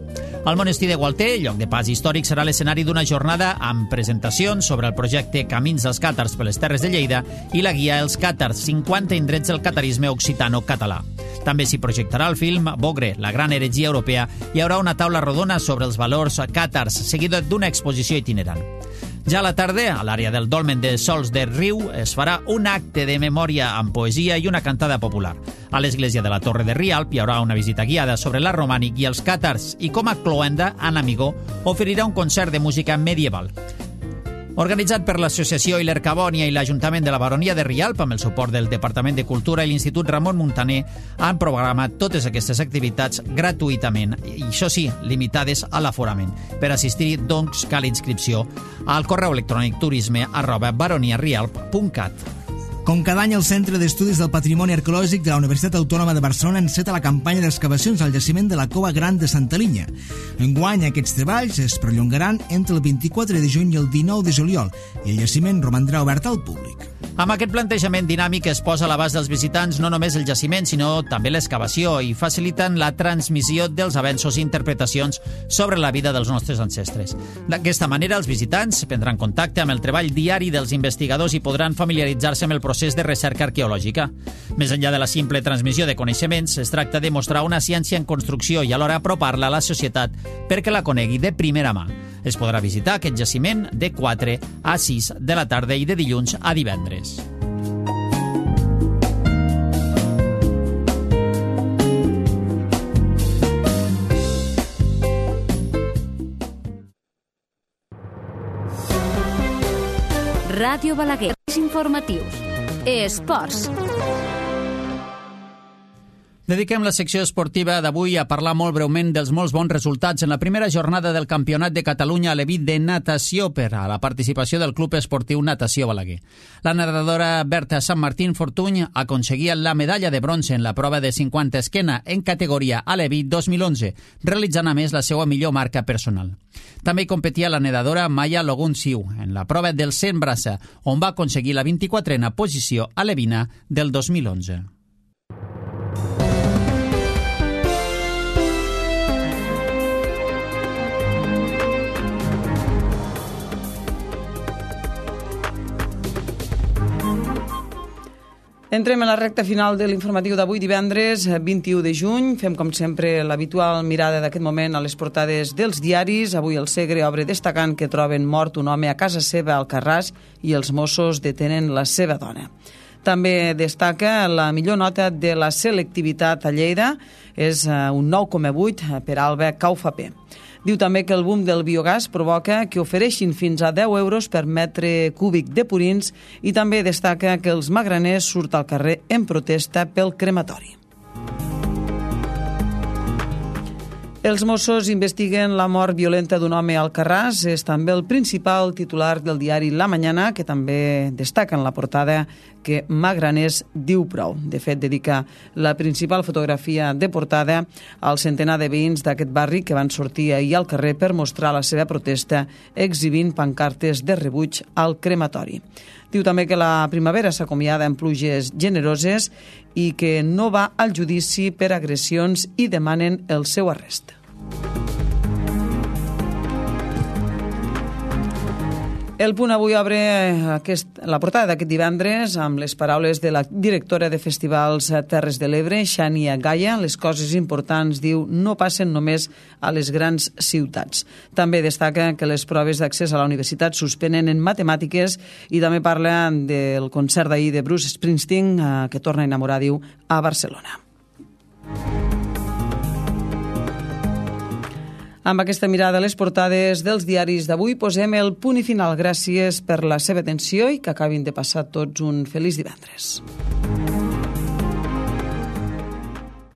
El monestir de Gualter, lloc de pas històric, serà l'escenari d'una jornada amb presentacions sobre el projecte Camins dels Càtars per les Terres de Lleida i la guia Els Càtars, cinquanta indrets del catarisme occitano-català. També s'hi projectarà el film Bogre, la gran heretgia europea, i hi haurà una taula rodona sobre els valors càtars, seguida d'una exposició itinerant. Ja a la tarda, a l'àrea del Dolmen de Sols de Riu, es farà un acte de memòria amb poesia i una cantada popular. A l'església de la Torre de Rialp hi haurà una visita guiada sobre l'art romànic i els càtars i, com a cloenda, Anna Amigó oferirà un concert de música medieval. Organitzat per l'Associació Hiler Cabònia i l'Ajuntament de la Baronia de Rialp, amb el suport del Departament de Cultura i l'Institut Ramon Muntaner, han programat totes aquestes activitats gratuïtament, i això sí, limitades a l'aforament. Per assistir-hi, doncs, cal inscripció al correu electrònic turisme arroba baroniarialp punt cat. Com cada any, el Centre d'Estudis del Patrimoni Arqueològic de la Universitat Autònoma de Barcelona enceta la campanya d'excavacions al jaciment de la Cova Gran de Santa Linya. Enguany, aquests treballs es perllongaran entre el vint-i-quatre de juny i el dinou de juliol i el jaciment romandrà obert al públic. Amb aquest plantejament dinàmic es posa a l'abast dels visitants no només el jaciment, sinó també l'excavació i faciliten la transmissió dels avenços i interpretacions sobre la vida dels nostres ancestres. D'aquesta manera, els visitants prendran contacte amb el treball diari dels investigadors i podran familiaritzar-se amb el procés de recerca arqueològica. Més enllà de la simple transmissió de coneixements, es tracta de mostrar una ciència en construcció i alhora apropar-la a la societat perquè la conegui de primera mà. Es podrà visitar aquest jaciment de quatre a sis de la tarda i de dilluns a divendres. Ràdio Balaguer. Informatius. Esports. Dediquem la secció esportiva d'avui a parlar molt breument dels molts bons resultats en la primera jornada del Campionat de Catalunya a l'Evit de natació per a la participació del Club Esportiu Natació Balaguer. La nedadora Berta Sant Martín Fortuny aconseguia la medalla de bronze en la prova de cinquanta esquena en categoria a l'Evit dos mil onze, realitzant a més la seva millor marca personal. També hi competia la nedadora Maya Logun-Siu en la prova del cent braça, on va aconseguir la vint-i-quatrena posició a l'Evina del dos mil onze. Entrem a la recta final de l'informatiu d'avui, divendres vint-i-u de juny. Fem, com sempre, l'habitual mirada d'aquest moment a les portades dels diaris. Avui el Segre obre destacant que troben mort un home a casa seva al Carràs i els Mossos detenen la seva dona. També destaca la millor nota de la selectivitat a Lleida, és un nou coma vuit per Alba Caufapé. Diu també que el boom del biogàs provoca que ofereixin fins a deu euros per metre cúbic de purins i també destaca que els magraners surt al carrer en protesta pel crematori. Els Mossos investiguen la mort violenta d'un home a Alcarràs. És també el principal titular del diari La Mañana, que també destaca en la portada que Magraners diu prou. De fet, dedica la principal fotografia de portada al centenar de veïns d'aquest barri que van sortir ahir al carrer per mostrar la seva protesta exhibint pancartes de rebuig al crematori. Diu també que la primavera s'acomiada en pluges generoses i que no va al judici per agressions i demanen el seu arrest. El Punt avui obre aquest, la portada d'aquest divendres amb les paraules de la directora de Festivals Terres de l'Ebre, Xènia Gaia. Les coses importants, diu, no passen només a les grans ciutats. També destaca que les proves d'accés a la universitat suspenen en matemàtiques i també parla del concert d'ahir de Bruce Springsteen, que torna a enamorar, diu, a Barcelona. Amb aquesta mirada a les portades dels diaris d'avui posem el punt i final. Gràcies per la seva atenció i que acabin de passar tots un feliç divendres.